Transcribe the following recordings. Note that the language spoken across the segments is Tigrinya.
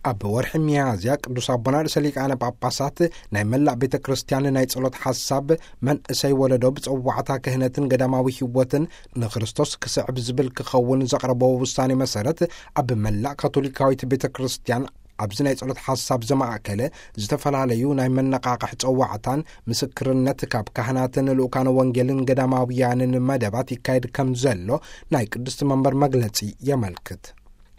ኣብ ወርሒ ሚያዝያ ቅዱስ ኣቦና ርእሰ ሊቃነ ጳጳሳት ናይ መላእ ቤተ ክርስቲያን ናይ ጸሎት ሓሳብ፣ መንእሰይ ወለዶ ብጸዋዕታ ክህነትን ገዳማዊ ህይወትን ንክርስቶስ ክስዕብ ዝብል ክኸውን ዘቕረቦ ውሳኔ መሰረት፣ ኣብ መላእ ካቶሊካዊት ቤተ ክርስቲያን ኣብዚ ናይ ጸሎት ሓሳብ ዘማእከለ ዝተፈላለዩ ናይ መነቓቕሒ ጸዋዕታን ምስክርነት ካብ ካህናትን ልኡካነ ወንጌልን ገዳማውያንን መደባት ይካየድ ከም ዘሎ ናይ ቅድስቲ መንበር መግለጺ የመልክት።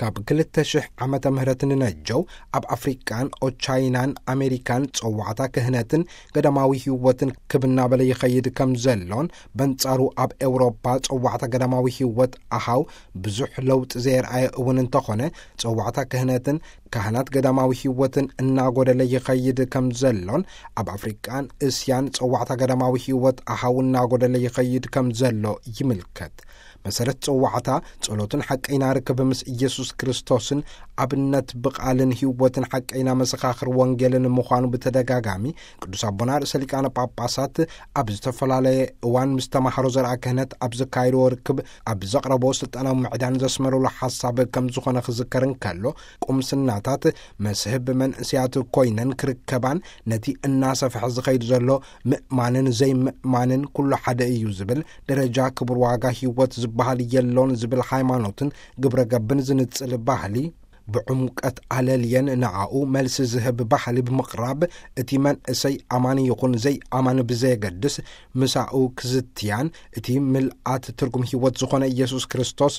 ካብ ክልተ ሽሕ ዓመተ ምህረት ንነጀው ኣብ ኣፍሪቃን ኦቻይናን ኣሜሪካን ጸዋዕታ ክህነትን ገዳማዊ ህይወትን ክብ እናበለ ይኸይድ ከም ዘሎን፣ በንጻሩ ኣብ ኤውሮጳ ጸዋዕታ ገዳማዊ ህይወት ኣሃው ብዙሕ ለውጢ ዘየርኣየ እውን እንተኾነ፣ ጸዋዕታ ክህነትን ካህናት ገዳማዊ ህይወትን እናጎደለ ይኸይድ ከም ዘሎን፣ ኣብ ኣፍሪቃን እስያን ጸዋዕታ ገዳማዊ ህይወት ኣሃው እናጎደለ ይኸይድ ከም ዘሎ ይምልከት። መሰረት ጸዋዕታ ጸሎትን ሓቀይና ርክብ ምስ ኢየሱስ ክርስቶስን ኣብነት ብቓልን ህይወትን ሓቀይና መሰኻኽር ወንጌልን ምዃኑ ብተደጋጋሚ ቅዱስ ኣቦና ርእሰ ሊቃነ ጳጳሳት ኣብ ዝተፈላለየ እዋን ምስ ተማሃሮ ዘርኣ ክህነት ኣብ ዘካየድዎ ርክብ ኣብ ዘቕረቦ ስልጣናዊ ምዕዳን ዘስመረሉ ሓሳብ ከም ዝኾነ ክዝከር እንከሎ፣ ቁምስናታት መስህብ መንእስያት ኮይነን ክርከባን ነቲ እናሰፍሐ ዝኸይድ ዘሎ ምእማንን ዘይምእማንን ኩሉ ሓደ እዩ ዝብል ደረጃ ክቡር ዋጋ ህይወት ዝበሃል የሎን ዝብል ሃይማኖትን ግብረ ገብን ዝንጽል ባህሊ ብዕምቀት ኣለልየን ንዓኡ መልሲ ዝህብ ባህሊ ብምቕራብ፣ እቲ መንእሰይ ኣማኒ ይኹን ዘይኣማኒ ብዘየገድስ ምሳኡ ክዝትያን፣ እቲ ምልኣት ትርጉም ህይወት ዝኾነ ኢየሱስ ክርስቶስ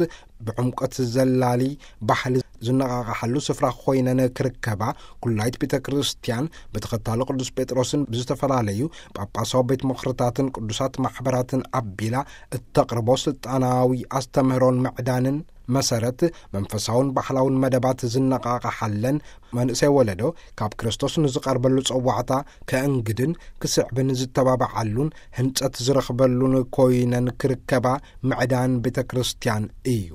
ብዕምቀት ዘላሊ ባህሊ ዝነቓቕሓሉ ስፍራ ኮይነን ክርከባ፣ ኩላይት ቤተ ክርስቲያን ብተኸታሎ ቅዱስ ጴጥሮስን ብዝተፈላለዩ ጳጳሳዊ ቤት ምኽርታትን ቅዱሳት ማሕበራትን ኣቢላ እተቕርቦ ስልጣናዊ ኣስተምህሮን ምዕዳንን መሰረት መንፈሳውን ባህላውን መደባት ዝነቓቕሓለን፣ መንእሰይ ወለዶ ካብ ክርስቶስ ንዝቐርበሉ ጸዋዕታ ከእንግድን ክስዕብን ዝተባብዓሉን ህንጸት ዝረኽበሉን ኮይነን ክርከባ ምዕዳን ቤተ ክርስቲያን እዩ።